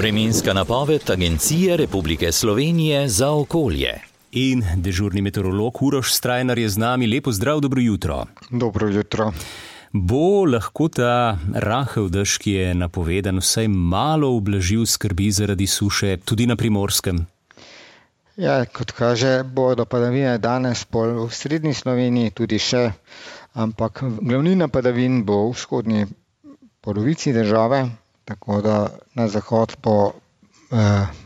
Vremenska napoved Agencije Republike Slovenije za okolje. In dežurni meteorolog Uroš Strajnar je z nami. Lepo zdrav, dobro jutro. Dobro jutro. Bo lahko ta rahel dež, ki je napovedan, vsaj malo ublažil skrbi zaradi suše tudi na Primorskem? Ja, kot kaže, bodo padavine danes v srednji Sloveniji tudi še, ampak glavnina padavin bo v vzhodni polovici države, tako da na zahod bo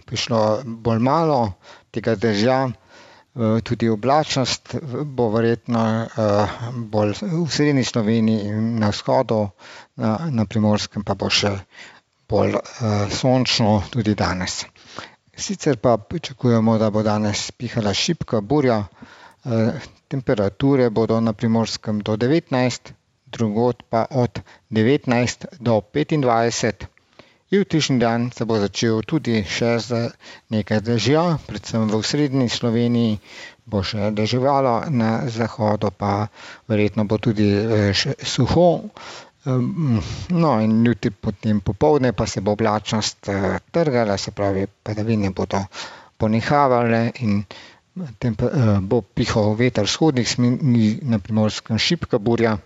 prišlo bolj malo tega dežja. Tudi oblačnost bo verjetno bolj v srednji Sloveniji in na vzhodu, na Primorskem pa bo še bolj sončno tudi danes. Sicer pa pričakujemo, da bo danes pihala šibka burja, temperature bodo na Primorskem do 19, drugod pa od 19 do 25. Jutrišnji dan se bo začel tudi še z nekaj dežja, predvsem v srednji Sloveniji bo še deževalo, na zahodu pa verjetno bo tudi še suho. No in jutri potem popoldne pa se bo oblačnost trgala, se pravi padavine bodo ponehavale in bo pihal veter vzhodnih smeri, na Primorskem šibka burja.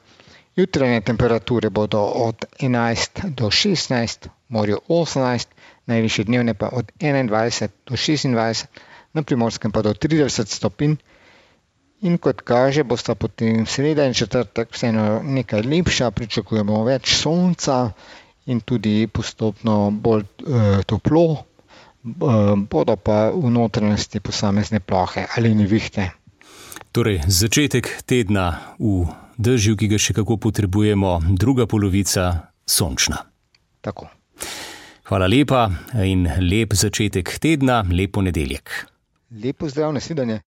Jutranje temperature bodo od 11 do 16, morju 18, najvišje dnevne pa od 21 do 26, na Primorskem pa do 30 stopinj. In kot kaže, bosta potem sreda in četrtek vseeno nekaj lepša, pričakujemo več sonca in tudi postopno bolj toplo, bodo pa v notranjosti posamezne plohe ali nevihte. Torej, začetek tedna v dežju, ki ga še kako potrebujemo, druga polovica sončna. Tako. Hvala lepa in lep začetek tedna, lep ponedeljek. Lep pozdrav, nasvidenje.